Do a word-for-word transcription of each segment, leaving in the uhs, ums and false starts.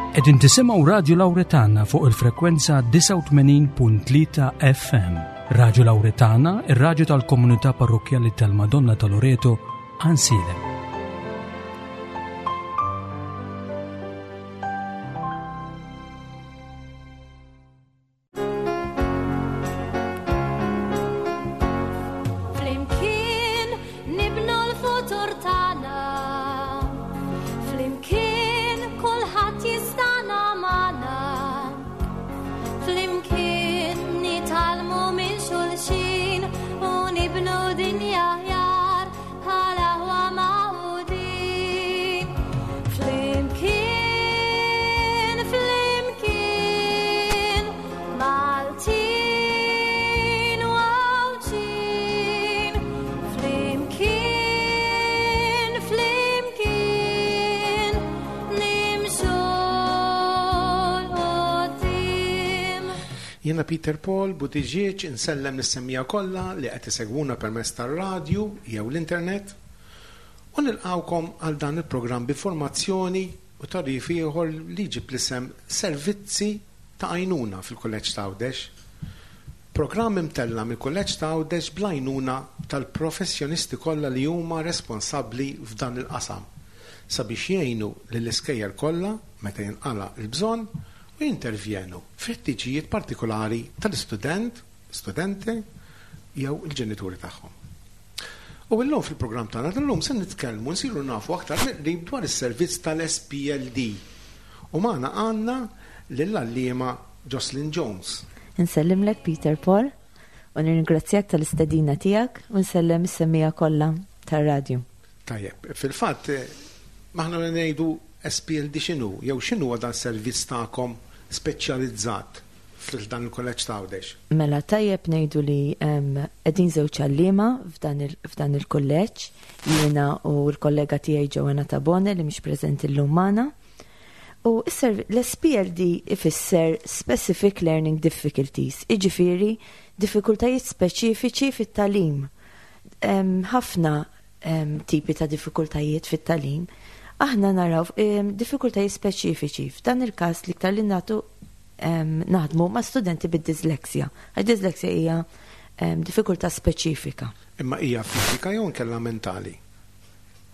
Qegħdin tisimgħu Radio Lauretana fuq il-frekwenza disgħa u tmenin punt tlieta F M. Radio Lauretana, ir-radju tal-komunità parrokjali tal-Madonna ta' Loreto, Għajnsielem. Flimkien nibnu l-futur tagħna. Flimkien kulħadd jistana magħna. Flimkien nitgħallmu minn xulxin u nibnu dinja aħjar bħala aħwa magħqudin. Flimkien, flimkien, Maltin u Għawdxin. Flimkien, flimkien, nimxu 'l quddiem. Jiena Peter Paul Buttigieg insellem lis-semmiegħa kollha li qed isegwuna permezz tar-radju jew l-internet u nilqawkom għal dan il-programm b'informazzjoni u tagħrif ieħor li jġib l-isem Servizzi ta' Għajnuna fil-Kulleġġ ta' Għawdex. Programm imtella mill-Kulleġġ ta' Għawdex bl-għajnuna tal-professjonisti kollha li huma responsabbli f'dan il-qasam sabiex jgħinu lill-iskejjel kollha meta jinqala l-bżonn u jintervjenu f'ħtiġijiet partikolari tal-istudent, studenti jew il-ġenituri tagħhom. U illum fil-programm tagħna tal-lum se nitkellmu, nsiru nafu aktar mill-qrib dwar is-servizz tal-S P L D. U magħna għandna lill-għalliema Jocelyn Jones. Insellimlek, Peter Paul, u nirringrazzjak tal-istedina tiegħek u nsellem is-semmiegħa kollha tar-radju. Tajjeb, fil-fatt eh, maħna ngħidu S P L D x'inhu, jew x'inhu dan servizz tagħkom speċjalizzat fil-dan il-kulleġġ ta' Għawdex? Mela, tajjeb ngħidu li em, qegħdin żewġ għalliema f'dan il- f'dan il-kulleġġ, jiena u l-kollega tiegħi Joanna Tabone li mhix preżenti llum magħna. U s-serv- l-S P L D ifisser Specific Learning Difficulties, iġifieri diffikultajiet speċifiċi fit-tagħlim. Em, Ħafna em, tipi ta' diffikultajiet fit-tagħlim. Aħna naraw em, diffikultajiet speċifiċi. F'dan il-każ l-iktar li nagħtu em, naħdmu ma' studenti bid-disleksja. Għax disleksja hija em, diffikultà speċifika. Imma hija fiżika jew inkella mentali?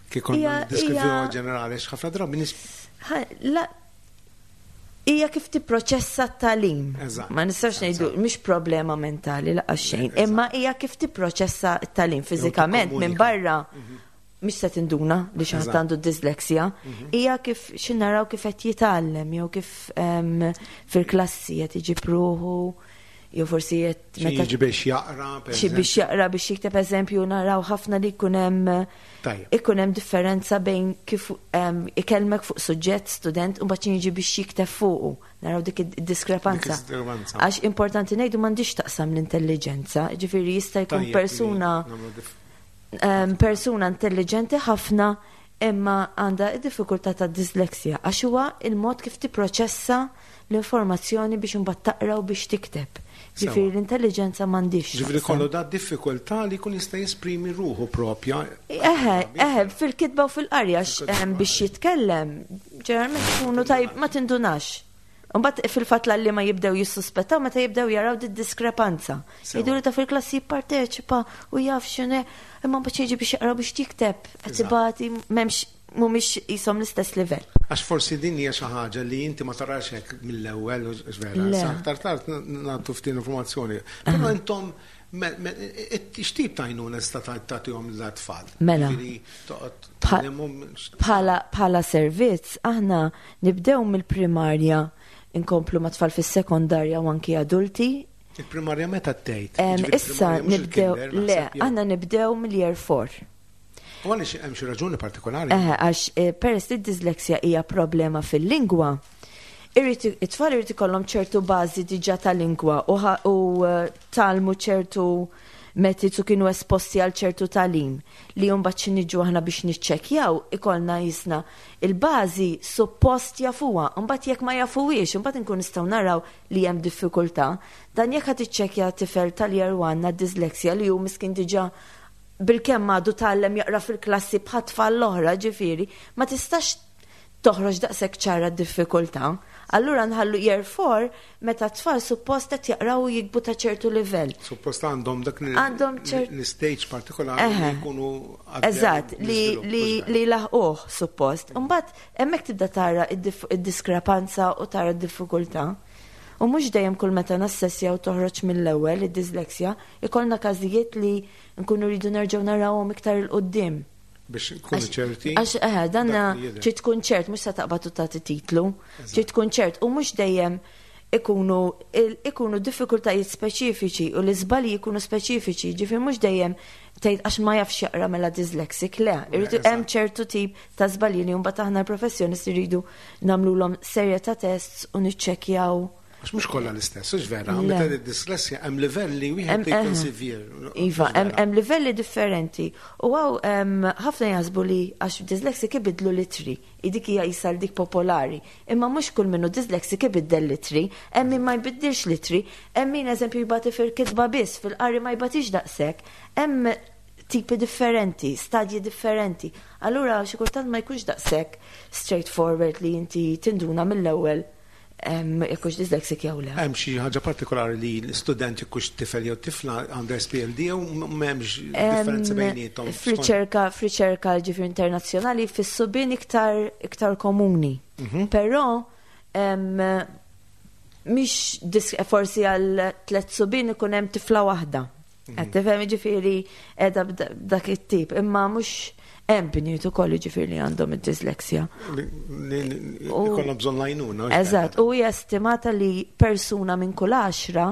Kif konna Hija- deskrivuha hija- ġenerali, x'ħafna drabi nis Ha, La, hija kif tipproċessa t-tagħlim. Eżatt. Ma nistax ngħidu mhix problema mentali laqas xejn, Eżatt. imma hija kif tipproċessa t-tagħlim fiżikament minn tikkomunika. barra mhix se tinduna li xi ħadd Eżatt. għandu disleksja. Hija kif xi naraw kif qed jitgħallem jew kif em, fil-klassi qed iġib ruħu jew forsi qed xi jiġi biex jaqra, per xi biex jaqra, biex jikteb, eżempju, naraw ħafna li jkun hemm Tajjeb. ikun hemm differenza bejn kif em, ikellmek fuq suġġett student u mbagħad jiġi biex jikteb fuqu. Naraw dik id-diskrepanza. Dik id-diskrepanza. Għax importanti ngħidu m'għandix taqsam l-intelligenza, ġifieri jista' jkun Tajjeb li persuna nagħmlu dif- em, persuna intelligenti ħafna imma għandha id-diffikultà ta' disleksja għax huwa il-mod kif tipproċessa l-informazzjoni biex imbagħad taqra u biex tikteb. Ġifieri Sewa. l-intelligenza m'għandix. Ġifieri taqsam. kollu da diffikultà li jkun jista' jesprimi ruħu propja. Eħe, eħe, fil-kitba u fil-qarja Fil-kitba em, biex jitkellem, ġeneralment ikunu tajb, ma tindunax. Mbagħad fil-fatt li ma jibdew jissuspettaw meta jibdew jaraw di diskrepanza. Sewa. Jgħidu li ta' fil-klassi jipparteċipa u jaf x'inhu, imma mbagħad jiġi biex jaqra, biex jikteb, qed Eżatt. ibati, m'hemmx, mhumiex qishom l-istess livell. Għax forsi din hija xi ħaġa li inti ma tarax hekk mill-ewwel, u vera. Le. Sa aktar tard nagħtu ftit informazzjoni. Però intom me- me- x'tip ta' għajnuna tista' tagħtihom l-tfal? Mela. Ġifieri toqgħod Bħal- tgħallimhom Bħala bħala servizz, aħna nibdew mill-primarja, inkomplu ma' tfal fis-sekondarja u anki adulti. Il-primarja meta tgħid? Em, Ġifieri Issa primarja mhux nibdew, il-kinder, le, naħseb, jew- aħna nibdew mill-year four. U għaliex, hemm xi raġuni partikolari? Eħe, għax eh, peress li d-disleksja hija problema fil-lingwa, irrid it-tfal irid ikollhom ċertu bażi diġà ta' lingwa u ħa- u eh, tgħallmu ċertu metodi u kienu esposti għal ċertu tagħlim li mbagħad xi niġu aħna biex niċċekkjaw ikollna jisna il-bażi suppost jafuha, mbagħad jekk ma jafuhiex, imbagħad inkun nistgħu naraw li hemm diffikultà. Dan jekk ħad tiċċekkja tifel tal-year one għad-disleksja li hu miskin diġà bil-kemm għadu tgħallem jaqra fil-klassi bħat-tfal l-oħra, ġifieri, ma tistax toħroġ daqshekk ċara d-diffikultà. Allura nħallu year four meta tfal suppost qed jaqraw u jikbu ta' ċertu livell. Suppost għandhom dak li- Għandhom ċert- l-stage partikolari li Eħe. jkunu għaddew Eżatt, li, l-iżvilupp, li, mhux li laħquh suppost. Mbagħad hemmhekk tibda tara id-dif- id-diskrepanza u tara d-diffikultà. U mhux dejjem kull meta nassessja u toħroġ mill-ewwel id-disleksja, ikollna każijiet li nkunu rridu nerġgħu narawhom iktar 'il quddiem. Biex nkunu ċerti. Għax eħe, danna dak li jidher. trid tkun ċert, mhux se taqbad u tagħti titlu, trid tkun ċert u mhux dejjem ikunu il- ikunu diffikultajiet speċifiċi u l-iżbalji jkunu speċifiċi, ġifier mhux dejjem tgħid għax ma jafx jaqra mela dyslexic, le, irridu eżatt. hemm ċertu tip ta' żbalji li mbagħad aħna l-professjonisti rridu nagħmluhom serje ta' tests u niċċekkjaw. Għax mhux kollha l-istess, hux vera. Le. Meta id-disleksja hemm livelli wieħed Hemm- jkun eħe. severe. Iva, Hux hemm vera. hemm livelli differenti. U għaw em, ħafna jaħsbu li għax dyslexic ibidlu l-ittri, dik hija jisal dik popolari. Imma mhux kull minnu dyslexic ibiddel l-ittri, hemm min ma jbiddilx l-ittri, hemm min eżempju jbati fil-kitba biss, fil-qari ma jbatix daqshekk. Hemm tipi differenti, stadji differenti. Allura xi kultant ma jkunx daqshekk straightforward li inti tinduna mill-ewwel em, jekk hux dyslexic jew le. Hemm xi ħaġa partikolari li l-student jekk tifel jew tifla għandha S P L D jew m'hemmx differenza Em, bejniethom? F'riċerka, f'riċerka ġifier internazzjonali, fis-subien iktar iktar komuni. Mhm. Però em, mhix dis- forsi għal tliet subien ikun hemm tifla waħda. Mhm. Qed tifhem, ġifieri qiegħda b'da- b'dak it-tip, imma mhux hemm bniet ukoll ġifieri li għandhom id-disleksja. Li- li- li- U- Ikollhom bżonn l-għajnuna. Hux vera? Eżatt, u hija estimata li persuna minn kull għaxra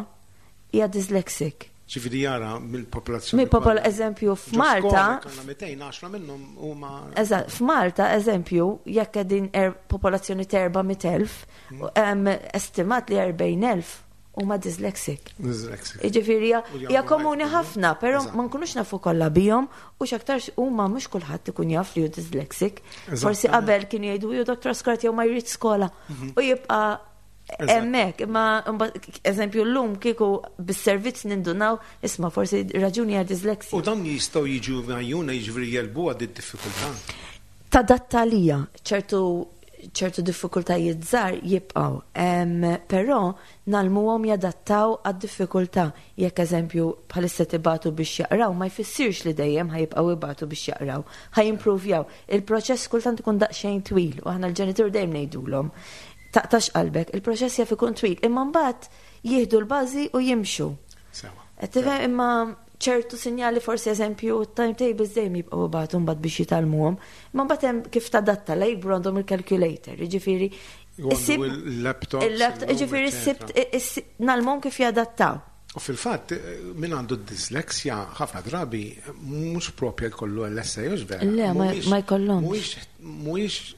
hija dyslexic. Ġifieri jara mill-popolazzjoni Mill popol kollha. eżempju Ġo f'Malta, skola jkollna mitejn u għaxra minnhom huma Eżatt, f'Malta, eżempju, jekk qegħdin er, popolazzjoni ta' erba' mitt elf, em, estimat li erbgħin elf huma dyslexic. Dyslexic. Jiġifieri hija U li hija għandhom komuni għajnuna. ħafna, però Eżatt. ma nkunux nafu kollha bihom u x'aktarx huma mhux kulħadd ikun jaf li hu dyslexic. Eżatt. Forsi qabel kienu jgħidu ju doktor skola jew ma jrid skola u jibqa' Eżatt. hemmhekk, imma mbagħad, eżempju, llum kieku bis-servizz nindunaw, isma', forsi raġuni hija dyslexia. U dan jistgħu jiġu megħjuna, jiġifieri jegħlbu għad id-diffikultà. Tadatta lija ċertu ċertu diffikultajiet żgħar jibqgħu. Em, Però ngħallmuhom jadattaw għad-diffikultà. Jekk eżempju bħalissa tibatu biex jaqraw, ma jfissirx li dejjem ħa jibqgħu ibatu biex jaqraw. Ħa jimprovjaw. Il-proċess kultant ikun daqsxejn twil u aħna l-ġenitur dejjem ngħidulhom: "Taqtax qalbek, il-proċess jaf ikun twil, imma mbagħad jieħdu l-bażi u jimxu." Sewa. Qed tifhem, imma ċertu sinjali forsi eżempju timetables dejjem jibqgħu bagħtu mbagħad biex jitgħallmuhom, imma mbagħad hemm kif tadatta la jikbru għandhom il-calculator, jiġifieri Għandu issib- il-laptops, il-laptop, illum, jiġifieri eccetera. ssibt ngħallmuhom kif jadattaw. U fil-fatt, eh, min għandu d-disleksja ħafna drabi mhux propja jkollu L S A, hux vera? Le, ma- Mhuwiex- ma jkollhomx. Mhuwiex mhuwiex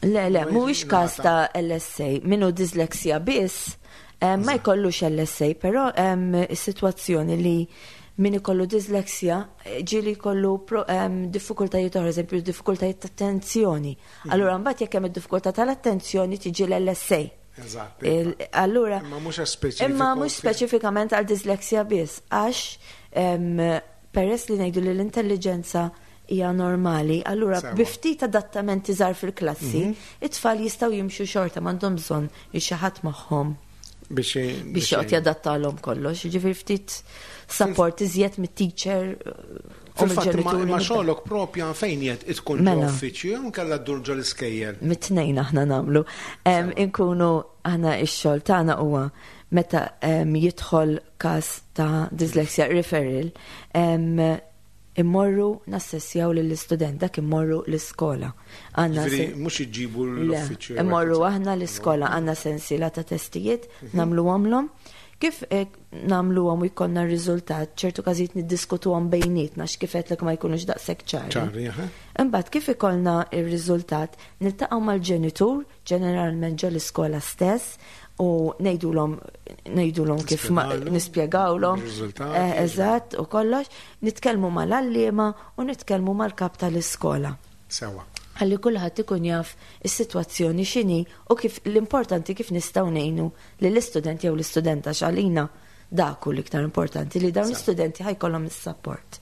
Le, le, Mhuwiex mhuwiex każ ngħata. ta' L S A, minnu disleksja biss, eh, ma jkollux L S A, però hemm is-sitwazzjoni li min ikollu disleksja eh, ġieli jkollu pro- em, diffikultajiet oħra, eżempju diffikultajiet ta' attenzjoni. Allura mbagħad jekk hemm id-diffikultà tal-attenzjoni tiġi l-L S A. Eżatt. Il- Allura, Imma mhux speċifiku. Imma mhux speċifikament għal disleksja biss, għax em, peress li ngħidu li l-intelligenza hija normali, allura Sewa. bi ftit adattamenti żgħar fil-klassi, it-tfal jistgħu jimxu xorta, m'għandhom bżonn li xi ħadd magħhom biex biex joqgħod jadattalhom kollox, jiġifieri ftit support iżjed mit-teacher u Fil-fatt, ma mill-ġenituri. ma xogħlok propja fejn jgħid tkun ġo Mela. uffiċċju jew nkella ddur ġo l-iskejjel? Mit-tnejn aħna nagħmlu. Em, Inkunu aħna ix-xogħol tagħna huwa meta em, jidħol każ ta' dyslexia referral, em, immorru nassessjaw lill-istudent, dak immorru l-iskola. Għandna Ġifieri se- mhux iġibu Le, l-uffiċċju. immorru aħna l-iskola, għandna sensiela ta' testijiet, nagħmluhomlhom. Kif eh, nagħmluhom u jkollna r-riżultat, ċertu każijiet niddiskutuhom bejnietna x'kif qedlek ma jkunux daqshekk ċari. Ċari, aha. Imbagħad kif ikollna ir-riżultat, niltaqgħu mal-ġenitur, ġeneralment ġo l-iskola stess, u ngħidulhom ngħidulhom kif ma Nispjegawlhom nispjegawlhom ir-riżultati. eh, eżatt u kollox, nitkellmu mal-għalliema u nitkellmu mal-kap tal-iskola. Sewa. Ħalli kulħadd ikun jaf is-sitwazzjoni x'inhi u kif l-importanti kif nistgħu ngħinu lill-istudent jew l-istudenta, x'għalina dak hu l-iktar importanti li dawn l-istudenti ħa jkollhom is-support.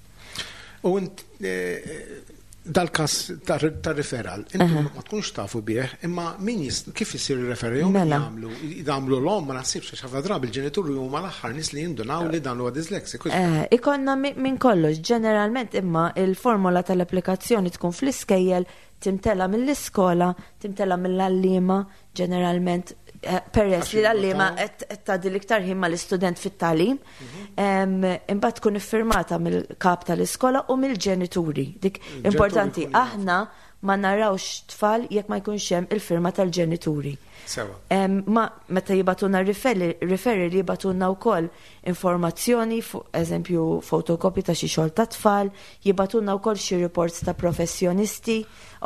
U int eh, Dal-kas ta' referral, intom ma tkunx tafu bih, imma min kif isir il-referral, jew Mela. jagħmlu, jagħmlu l-om ma naħsibx għax ħafna drabi il-ġenituri huma l-aħħar nies li jindunaw li dan huwa dyslexic. Eh, ikonna minn kollox, ġeneralment imma il-formola tal-applikazzjoni tkun fl-iskejjel, timtela mill-iskola, timtela mill-għalliema, ġeneralment eh, peress li l-għalliema qed tgħaddi l-iktar ħin mal-istudent fit-tagħlim, imbagħad tkun iffirmata mill-kap tal-iskola u mill-ġenituri. Dik importanti, aħna ma narawx tfal jekk ma jkunx hemm il-firma tal-ġenituri. Sewa. Ma meta jibagħtulna referral jibagħtulna wkoll informazzjoni, fuq eżempju fotokopji ta' xi xogħol ta' tfal, jibagħtulna wkoll xi reports ta' professjonisti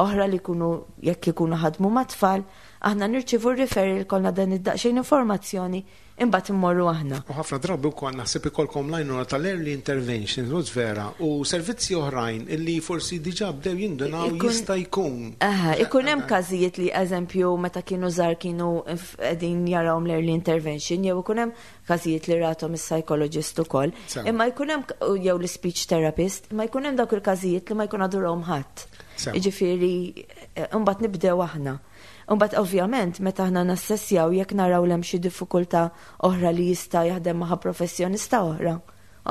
oħra li jkunu jekk ikunu ħadmu ma' tfal, aħna nirċievu r-referral kollna dan id-daqsxejn informazzjoni imbagħad immorru aħna. U ħafna drabi wkoll naħseb ikolkom l-għajnuna tal-early intervention, mhux vera, u servizzi oħrajn illi forsi diġà bdew jindunaw jista' jkun. Aha, ikun hemm każijiet li eżempju meta kienu żgħar kienu qegħdin jarawhom l-early intervention, jew ikun hemm każijiet li rathom is-psychologist ukoll. Imma jkun hemm jew l-speech therapist, imma jkun hemm dawk il-każijiet li ma jkun għadurhom ħadd. Jiġifieri imbagħad nibdew aħna. Imbagħad ovvjament meta aħna nassessjaw jekk naraw hemm xi diffikultà oħra li jista' jaħdem magħha professjonista oħra,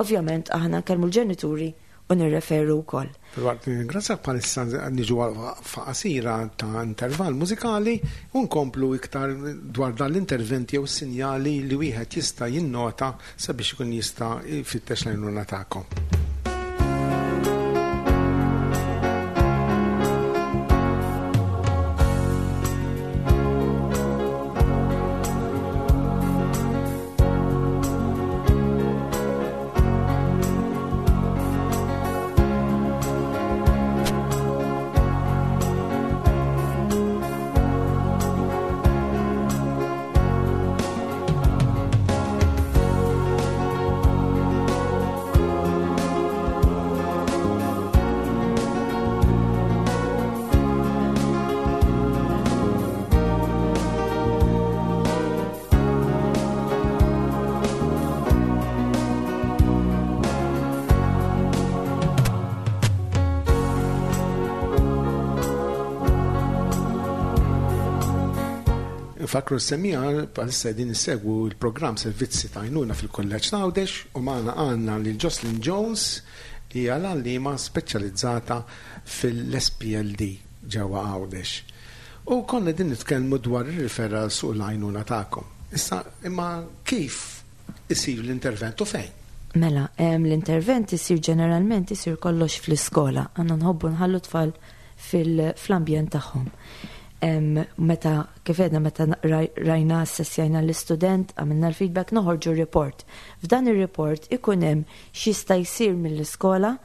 ovvjament aħna nkellmu l-ġenituri u nirreferu wkoll. Filwaqt nirringrazzjak bħalissa niġu f'qasira ta' intervall mużikali u nkomplu iktar dwar dan l-interventi jew sinjali li wieħed jista' jinnota sabiex ikun jista' jfittex l-għajnuna tagħkom. Fakru s-semija, bħalissa din issegwu il-programm Servizzi ta' Għajnuna fil-Kulleġġ ta' Għawdex u magħna għandna lil Jocelyn Jones li hija l-għalliema speċjalizzata fil-S P L D ġewwa Għawdex. U konna din nitkellmu dwar ir-referral suq l-għajnuna tagħkom. Issa, imma kif isir l-intervent u fejn? Mela, l-intervent isir ġeneralment isir kollox fl-iskola. Għandna nħobbu nħallu tfal fil-ambjent tagħhom. Meta kif għedna meta rajna assessjajna l-istudent, għamilna l-feedback, noħorġu report. F'dan ir-report ikun hemm x'jista' jsir mill-iskola,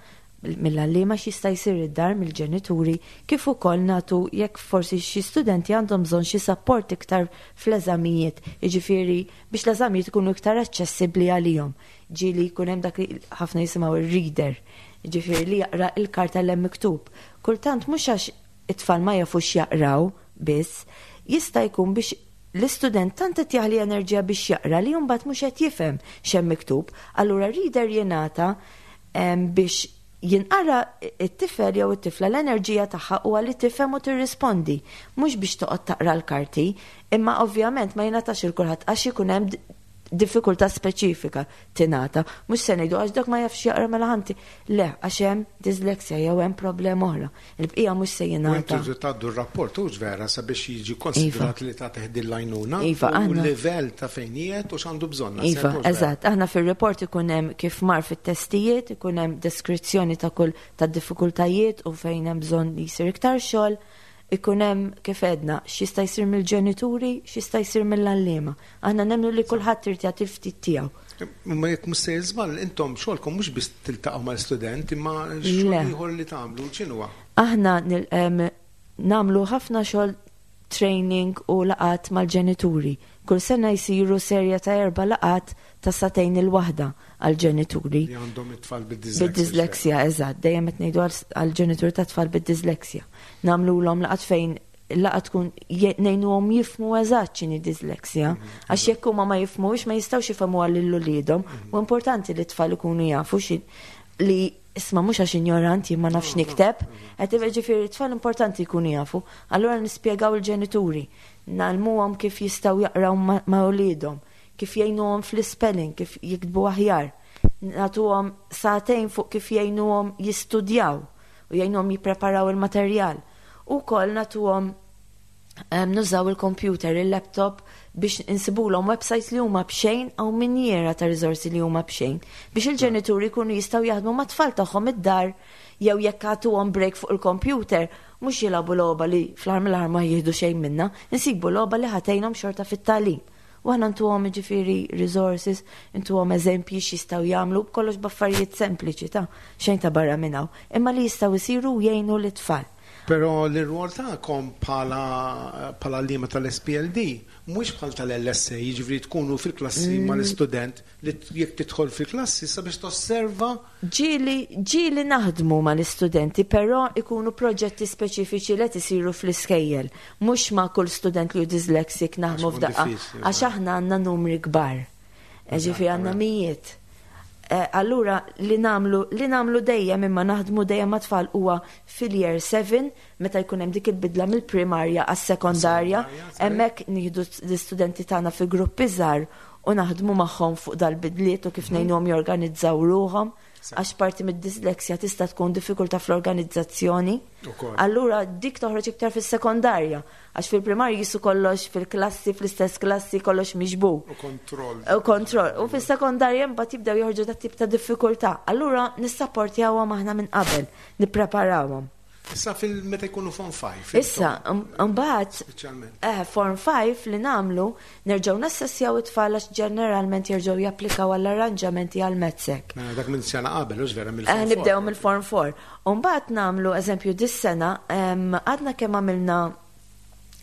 mill-għalliema, x'jista' jsir id-dar mill-ġenituri, kif ukoll nagħtu jekk forsi xi studenti għandhom bżonn xi support iktar fl-eżamijiet, jiġifieri biex l-eżamijiet ikunu iktar aċċessibbli għalihom. Ġieli jkun hemm dak li ħafna jisimgħu ir-reader, jiġifieri li jaqra l-karta l hemm miktub. Kultant mhux għax it-tfal ma jafux jaqraw biss, jista' jkun biex l-istudent tant qed jaħli enerġija biex jaqra li mbagħad mhux qed jifhem x'hemm miktub. Allura reader jingħata biex jinqara it-tifel jew it-tifla l-enerġija tagħha huwa li tifhem u tirrispondi, mhux biex toqgħod taqra l-karti, imma ovvjament ma jingħatax il kulħadd għax ikun hemm diffikultà speċifika tingħata. Mhux se ngħidu għax dak ma jafx jaqra mela ħanti. Le, għax hemm dyslexia jew hemm problema oħra. Il-bqija mhux se jingħata. U intu tgħaddu r-rapport hux vera sabiex jiġi konsidrat li ta' teħdi l-għajnuna Iva, u aħna l-livell ta' fejn qiegħed u x'għandu bżonn. Iva, eżatt. Aħna fir-report ikun hemm kif mar fit-testijiet, ikun hemm deskrizzjoni ta' kull ta' diffikultajiet u fejn hemm bżonn li jsir iktar xogħol. Ikun hemm kif għedna x'jista' jsir mill-ġenituri, x'jista' jsir mill-għalliema. Aħna nemmnu li kulħadd irid jagħti ftit tiegħu. Ma jekk mhux se żball, intom xogħolkom mhux biss tiltaqgħu mal-student, imma xogħol Le. ieħor li tagħmlu x'inhuwa? Aħna nil-, em, nagħmlu ħafna xogħol training u laqat mal-ġenituri. Kull sena jsiru serja ta' erba' laqat ta' satejn il-waħda għal-ġenituri. Li għandhom it-tfal bid-dyslexia. Bid-dyslexia, eżatt. Dejjem qed ngħidu għal-, għal-ġenituri ta' tfal bid-dyslexia. Nagħmluhom laqat fejn laqat tkun je-, ngħinuhom jifhmu eżatt x'inhi dyslexia. Mhm. Għax jekk huma ma jifhmux ma jistgħux jifhmu lil uliedhom. Mhm. U importanti li t-tfal ikunu jafu xi li Isma', mhux għax ignorant, jien ma nafx nikteb, qed ġifieri tfal importanti jkunu jafu. Allura nispjegaw il-ġenituri, ngħallmuhom kif jistgħu jaqraw ma' ma' uliedhom, kif jgħinuhom fl-spelling, kif jiktbu aħjar. Nagħtuhom sagħtejn fuq kif jgħinuhom jistudjaw u jgħinuhom jippreparaw il-materjal. U wkoll nagħtuhom em, nużaw il-computer, il-laptop biex insibulhom websites li huma b'xejn għaw minjera ta' riżorsi li huma b'xejn biex il-ġenituri jkunu jistgħu jaħdmu mat-tfal tagħhom id-dar jew jekk għatuhom break fuq il-computer, mhux jilagħbu logħba li fl-aħħar mill-aħħar ma jieħdu xejn minnha, insibu logħba li ħa tgħinhom xorta fit-tagħlim. U aħna ntuhom ġifieri resources, ntuhom eżempji x'jistgħu jagħmlu, b'kollox b'affarijiet sempliċi ta' xejn ta' barra minn hawn, imma li jistgħu jsiru u jgħinu l-tfal. Però l-rwol tagħkom bħala bħala għalliema tal-S P L D mhux bħal tal-L S A, jiġifieri tkunu fil-klassi Mm. mal-istudent li jekk tidħol fil-klassi sabiex tosserva. Ġieli, ġieli naħdmu mal-istudenti, però ikunu proġetti speċifiċi li isiru fl-iskejjel. Mhux ma' kull student li hu dyslexic naħdmu Għax ikun f'daqqa. diffiċli, Għax aħna għandna numri kbar. Ġifieri għandna mijiet. Eh, Allura li nagħmlu li nagħmlu dejjem imma naħdmu dejjem ma' tfal huwa fil-year seven, meta jkun hemm dik il-bidla mill-primarja għas-sekondarja, Sekondarja, hemmhekk nieħdu l-istudenti tagħna fi gruppi żgħar u naħdmu magħhom fuq dal-bidliet u kif ngħinuhom jorganizzaw ruħhom, għax parti mid-disleksja tista' tkun diffikultà fl-organizzazzjoni. Ukoll. Allura dik toħroġ iktar fis-sekondarja, għax fil-primarja jisu kollox fil-klassi, fl-istess klassi, kollox miġbur. U kontroll. U kontroll. U fis-sekondarja mbagħad jibdew joħorġu dat tip ta' diffikultà. Allura nissapportjawhom aħna minn qabel, nippreparawhom. Issa fil-meta jkunu Form five. Issa, mbagħad Speċjalment. eh, Form five li nagħmlu, nerġgħu nassessjaw it-tfal għax ġeneralment jerġgħu japplikaw għall-arranġamenti għal MATSEC. Mela dak minn sena qabel, hux vera, Eh, mill-Form Nibdew mill-Form four. U mbagħad nagħmlu eżempju dis-sena em, għadna kemm għamilna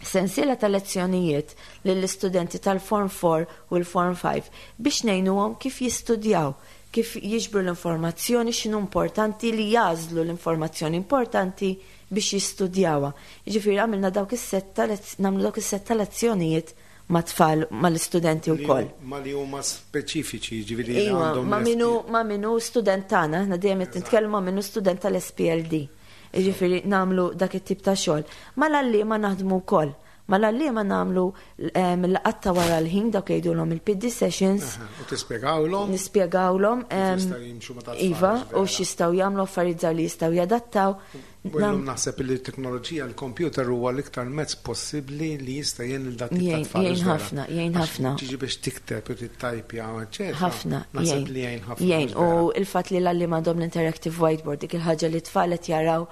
sensiela ta' lezzjonijiet lill-istudenti tal-Form four u l-Form five biex ngħinuhom kif jistudjaw, kif jiġbru l-informazzjoni, x'inhu importanti li jagħżlu l-informazzjoni importanti biex jistudjawha. Jiġifieri għamilna dawk is-set ta' lezz- nagħmlu dawk is-set ta' lezzjonijiet ma' tfal, mal-istudenti Li wkoll. Ma li huma speċifiċi, ġifieri li Iwa, għandhom ma l-S P minu, ma minu student tagħna, aħna dejjem qed nitkellmu ma minu student tal-S P L D. Jiġifieri nagħmlu dak it-tip ta' xogħol. Mal-għalliema naħdmu wkoll. Mal-għalliema nagħmlu laqgħat ta' wara l-ħin, dak jgħidulhom il-P D sessions. Aha, u tispjegawlhom Nispjegawlhom em, jistgħu jimxu ma' tat-tfal, Iva, vera. u x'jistgħu jagħmlu, affarijiet żgħar li jistgħu jadattaw. U llum naħseb li t-teknoloġija, l-computer huwa l-iktar mezz possibbli li jista' jgħin lil dat tip ta' Jgħin- tfal. Jgħin Hux vera? ħafna, jgħin Għax ħafna. tiġi biex tikteb u tittajpja, eċetera. Ħafna, Naħseb li jgħin ħafna. Jgħin, Hux u vera? il-fatt li l-għalliema għandhom l-interactive whiteboard, dik il-ħaġa li tfal qed jaraw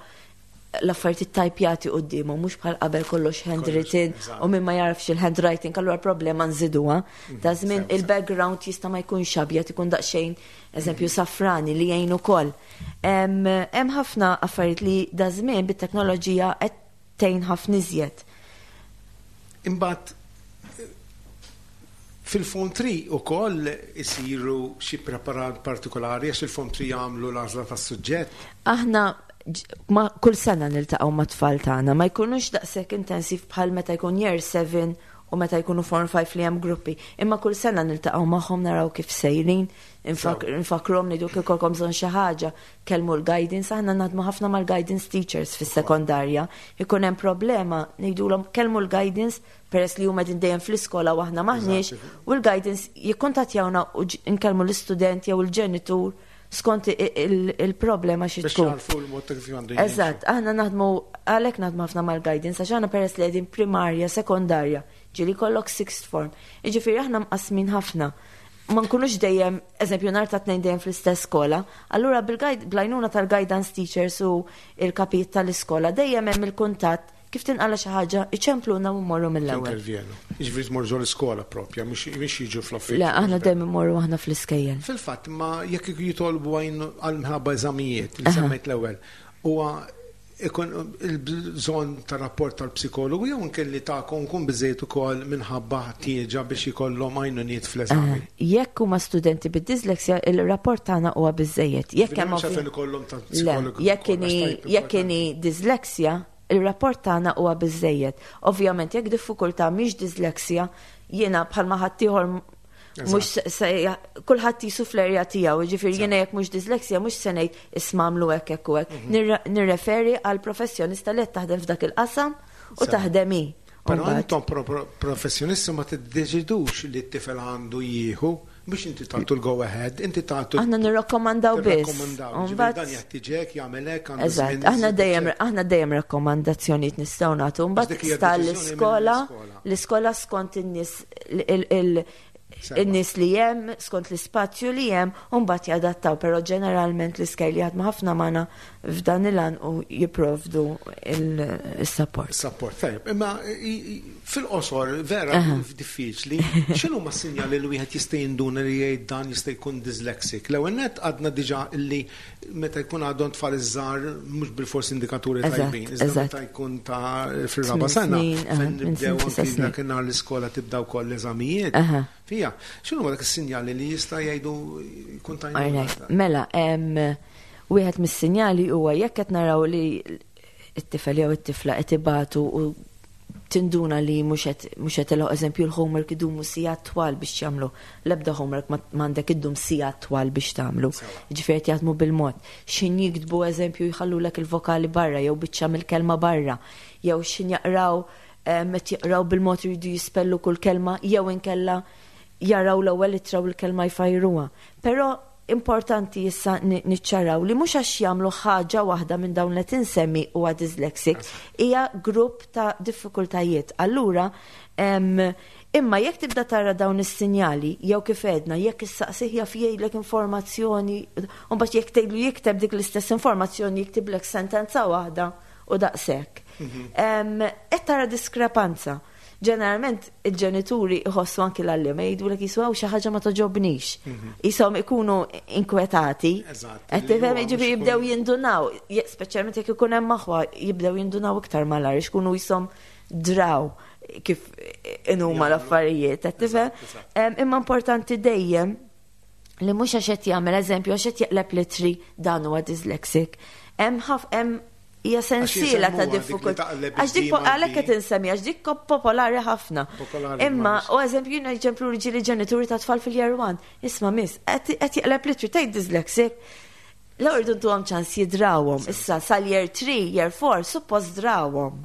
l-affarijiet tajpjati quddiemhom, mhux bħal qabel kollox handwritten eżatt. u min ma jarafx il-handwriting, allura problema nżiduha. Ta' żmien sew, sew. il-background jista' ma jkunx abjad, ikun daqsxejn eżempju safrani li jgħin ukoll. Hemm hemm ħafna affarijiet li da żmien bit-teknoloġija qed tgħin ħafna iżjed. Imbagħad fil-Form three ukoll isiru xi preparat partikolari għax il-Form three jagħmlu l-għażla tas-suġġett. Aħna ġ- ma kull sena niltaqgħu ma' tfal tagħna, ma jkunux daqshekk intensiv bħal meta jkun year seven u meta jkunu Form five li hemm gruppi. Imma kull sena niltaqgħu magħhom, naraw kif sejrin, infak- nfakruhom, ngħidu kif ikollkom bżonn xi ħaġa, kellmu l-guidance, aħna naħdmu ħafna mal-guidance teachers fis-sekondarja. Ikun hemm problema, ngħidulhom kellmu l-guidance peress li huma din dejjem fl-iskola u aħna maħniex, u l-guidance jikkuntattjawna u ġ- nkellmu l-istudent jew il-ġenitur skont i- il- il-problema xi Biex tkun. jarfu l-mod ta' kif għandu jimxu. Eżatt, aħna naħdmu għalhekk naħdmu ħafna mal-guidance għax aħna peress li qegħdin primarja, sekondarja, ġieli kollok sixth form. Jiġifieri aħna mqasmin ħafna. Ma nkunux dejjem, eżempju, nhar ta' Tnejn dejjem fl-istess skola, allura bil-guide bl-għajnuna tal-guidance teachers u il-kapijiet tal-iskola dejjem hemm il-kuntatt, kif tinqala xi ħaġa, iċempluna u mmorru mill-ewwel. Intervjenu. Jiġifieri tmorru l-iskola propja, mhux mhux jiġu fl-uffiċċju. Le, aħna dejjem immorru aħna fl-iskejjel. Fil-fatt, ma jekk jitolbu għajn għal-mħabba eżamijiet li semmejt l-ewwel, huwa ikun il-bżonn ta' rapport tal-psikologu jew anke tagħkom kun biżejjed ukoll minħabba ħtieġa biex ikollhom għajnuniet fl-eżami? Jekk huma studenti bid-disleksja, il-rapport tagħna huwa biżejjed. Jekk hemm Mhux għalfejn ikollhom ta' Le, psikologu jekk ukoll, inhi għax tajb jekk inhi disleksja, il-rapport tagħna huwa biżejjed. Ovvjament jekk diffikultà mhix disleksja, jiena bħalma ħaddieħor Mhux se- se kulħadd jisu fl-erja tiegħu, jiġifieri jiena jekk mhux dyslexia mhux se ngħid isma' għamlu hekk hekk u hekk. Mhm. Nirre- Nirreferi għal professjonista li qed taħdem f'dak il-qasam u Sewa. taħdem hi. Però Mbagħad- intom pro- pro- professjonisti ma tiddeċidux li t-tifel għandu jieħu biex inti tagħtu l-go ahead, inti tagħtu Aħna nirrakkomandaw biss. Tirrakkomandaw. U Ġifieri mbagħad- dan jeħtieġek jagħmel hekk għandu Eżatt, żmien aħna iżid, dejjem eċċetera. aħna dejjem rakkomandazzjonijiet nistgħu nagħtu. Mbagħad dik hija sta deċiżjoni l-iskola, mill-iskola. l-iskola skont in-nies il- il- Sewa. in-nies li hemm, skont l-ispazju li hemm, u mbagħad jadattaw, però ġeneralment l-iskejjel jaħdmu ħafna magħna f'dan il-għan u jipprovdu il-support. Support, tajjeb. Imma i- i- fil-qosor vera diffiċli, x'inhu ma sinjali li wieħed jista' jinduna li jgħid dan jista' jkun dyslexic? L-ewwel nett għadna diġà illi meta jkun għadhom tfal iż-żgħar mhux bil-fors indikaturi Eżatt, tajbin, iżda eżatt. meta jkun ta' fir-raba Tmien sena, snin, aha, fejn minn nibdew snin tisa anki snin. dakinhar l-iskola tibda wkoll l-eżamijiet. Aha. Fija, x'inhu dak is-sinjali li jista' jgħidu jkun Alright. tajjeb? Mela, em, wieħed mis-sinjali huwa jekk qed naraw li it-tifel jew it-tifla qed ibatu u tinduna li mhux qed mhux qed ilħaq eżempju l-homework idumu sigħat twal biex jagħmlu. L-ebda homework ma m'għandek iddum sigħat twal biex tagħmlu. Jiġifieri qed jaħdmu bil-mod. X'in jiktbu eżempju jħallulek il-vokali barra jew biċċa mill-kelma barra jew x'in jaqraw em, qed jaqraw bil-mod iridu jispellu kull kelma jew inkella jaraw l-ewwel ittra u l-kelma jfajruha. Però importanti issa ni- niċċaraw li mhux għax jagħmlu ħaġa waħda minn dawn li tinsemmi huwa dyslexic, hija grupp ta' diffikultajiet. Allura, em, imma jekk tibda tara dawn is-sinjali, jew kif għedna, jekk issaqsih jaf jgħidlek informazzjoni, u mbagħad jekk tgħidlu jikteb dik l-istess informazzjoni jiktiblek sentenza waħda u daqshekk. Em, Qed tara diskrepanza. Ġeneralment il-ġenituri iħossu anki l-għalliema jgħidulek jiswaw xi ħaġa ma toġobnix. Jisom ikunu inkwetati. Eżatt, Qed li tifhem huwa mhux jiġifieri ikun- jibdew jindunaw, je- speċjalment jekk ikun hemm aħwa jibdew jindunaw iktar malar, ikunu jisom draw kif inhuma l-affarijiet, qed tifhem? Eżatt, Em, Imma importanti dejjem li mhux għax qed jagħmel eżempju għax qed jaqleb litri dan huwa dyslexic. Hemm ħaf hemm hija sensiela ta' jisemmuha dik li diffikultà. taqleb Għax dik id-D mal-B. għalhekk qed insemmi għax dik popolari ħafna. Popolari, Imma ma u eżempju jiena ġemplu li ġenituri ta' tfal fil-year one. Isma' miss, qed qed jaqleb litri tgħid dyslexic. L irdu ntuhom ċans jidrawhom. Issa sal-year three, year four, suppost drawhom.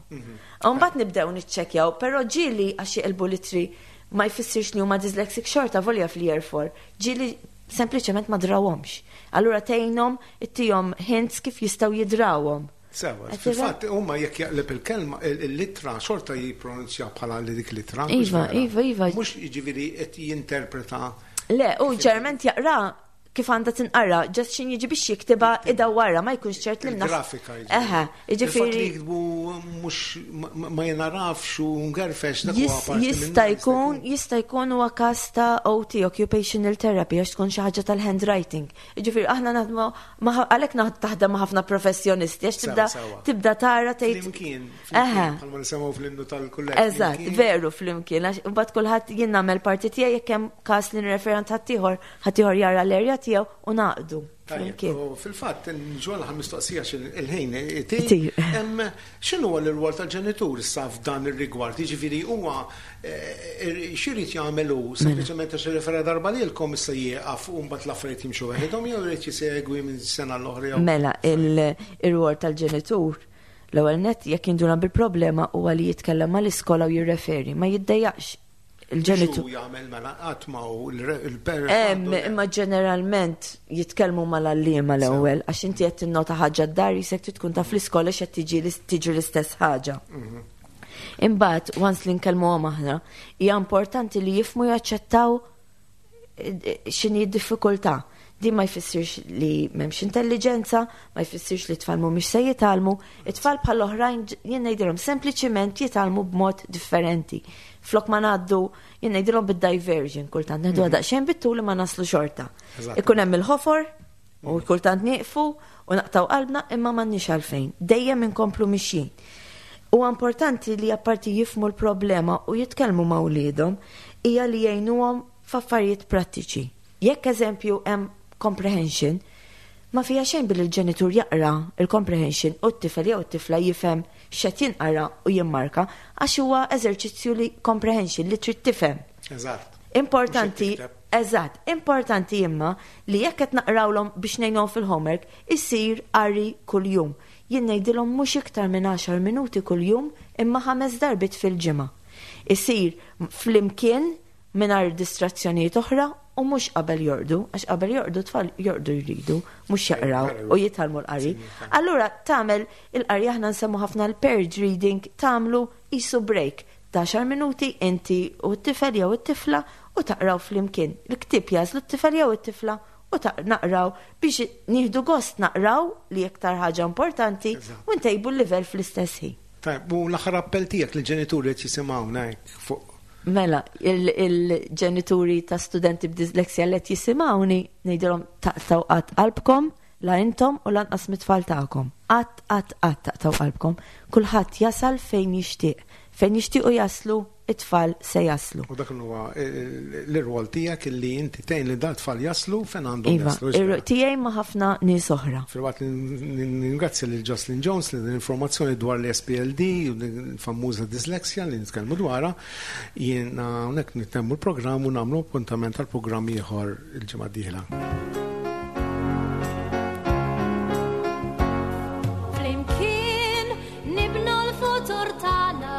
Mbagħad nibdew niċċekkjaw, però ġieli għax jiqilbu litri ma jfissirx li huma dyslexic xorta volja fil-year four. Ġieli sempliċement ma drawhomx. Allura tgħinhom ittihom hints kif jistgħu jidrawhom. Sewa, Qed fil-fatt huma jekk jaqleb il-kelma il-litra xorta jippronunzja bħala li dik litra. mhux Iva, vera. iva, iva. Mhux jiġifieri qed jinterpreta Le, u ġeneralment jaqra kif għandha tinqara, just xin jiġi biex jiktibha idawwarha ma jkunx ċert li mnaħ- il-grafika. Eħe, Il-fatt li jiġifieri jiktbu mhux ma- ma jenarafx u ngerfex dak huwa jis- parti jista' minnu, jkun jista' jkun huwa każ ta' O T, occupational therapy, għax tkun xi ħaġa tal-handwriting. Jiġifieri aħna naħdmu ma- għalhekk naħd- taħdem ma' ħafna professjonisti għax tibda Sewa, sewa. tibda tara tgħid Flimkien, Eħe. flimkien, bħalma nisimgħu fl-innu tal-kulleġġ. Eżatt, flimkien. veru flimkien, għax mbagħad kulħadd jien nagħmel parti tiegħi jekk hemm każ li nirreferi għand ħaddieħor, ħaddieħor jara l-erja tiegħu u naqdu Tajjeb, flimkien. u fil-fatt, ġol ħan mistoqsija il-ħin, Itir. x'inhu huwa l-rwol tal-ġenitur issa f'dan ir-rigward? Jiġifieri huwa eh, x'irid jagħmel hu sempliċement għax irrefera darba lilkom issa jieqaf u mbagħad l-affarijiet jimxu waħedhom jew irid jisegwi minn sena l-oħra jew Mela, il-rwol tal-ġenitur, l-ewwel net jekk jinduna bil-problema huwa li jitkellem mal-iskola u jirreferi, ma jiddejjaqx il-ġenitur. X'hu jagħmel mela qatt ma hu il-parent Em, għandu- imma ġeneralment jitkellmu mal-għalliema l-ewwel, għax inti qed tinnota ħaġa d-dar jisek trid tkun taf l-iskola x'qed tiġi tiġi l-istess ħaġa. Imbagħad, once li nkellmuhom aħna, hija importanti li jifhmu jaċċettaw eh, x'inhi d-diffikultà. Din ma jfissirx li m'hemmx intelligenza, ma jfissirx li t-tfal mhumiex se jitgħallmu, it-tfal bħal oħrajn jien ngħidilhom sempliċiment jitgħallmu b'mod differenti. Flok ma ngħaddu jien ngħidilhom bid-diversion kultant neħdu daqsxejn bit-tul li ma naslu xorta. Eżatt. Ikun hemm il-ħofor u kultant nieqfu u naqtaw qalbna imma m'għandniex għalfejn. Dejjem inkomplu mixjin. U importanti li apparti jifhmu l-problema u jitkellmu ma' wliedhom hija li jgħinuhom f'affarijiet prattiċi. Jekk eżempju hemm comprehension, ma fija xejn billi l-ġenitur jaqra il-comprehension u t-tifel jew t-tifla jifhem x'qed jinqara u jimmarka għax huwa eżerċizzju li comprehension li trid tifhem. Eżatt. Importanti, Mhux qed tikteb. Eżatt, importanti imma li jekk qed naqrawlhom biex ngħinhom fil-homework, isir qari kuljum. Jien ngħidilhom mhux iktar minn għaxar minuti kuljum, imma ħames darbit fil-ġimgħa. Isir flimkien, mingħajr distrazzjonijiet oħra, u mhux qabel jorqdu, għax qabel jorqdu tfal jorqdu jridu, mhux jaqraw u jitgħallmu l-qari. Allura tagħmel il-qari, aħna nsemmu ħafna l-paired reading, tagħmlu qisu break ta' għaxar minuti inti u t-tifel jew it-tifla u taqraw flimkien. Il-ktieb jagħżlu t-tifel jew it-tifla u naqraw biex nieħdu gost naqraw, li iktar ħaġa importanti, u ntejbu l-livell fl-istess ħin. Tajb, u l-aħħar appell tiegħek lill-ġenituri qed jisimgħuna fuq Mela, il-ġenituri ta' studenti b'disleksja li qed jisimgħuni, ngħidilhom taqtgħu qatt qalbkom, la intom u lanqas mit-tfal tagħkom. Qatt, qatt, qatt taqtgħu qalbkom. Kulħadd jasal fejn jixtieq. Fejn jixtiequ jaslu, it-tfal se jaslu. U dak huwa l-irwol tiegħek, illi inti tgħin li dat-tfal jaslu fejn għandhom Iva, jaslu. Ir tiegħi ma' ħafna nies oħra. Filwaqt li ningrazzja lil Jocelyn Jones li l-informazzjoni dwar l-S P L D u l-famuża disleksja li nitkellmu dwarha, jiena hawnhekk nittemmu l-programm u nagħmlu appuntament għal programm ieħor il-ġimgħa d-dieħla. Flimkien nibnu l-futur tagħna.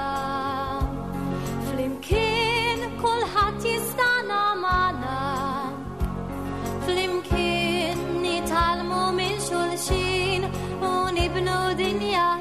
Flimkien kulħadd jistana magħna. Flimkien nitgħallmu minn xulxin u nibnu dinja.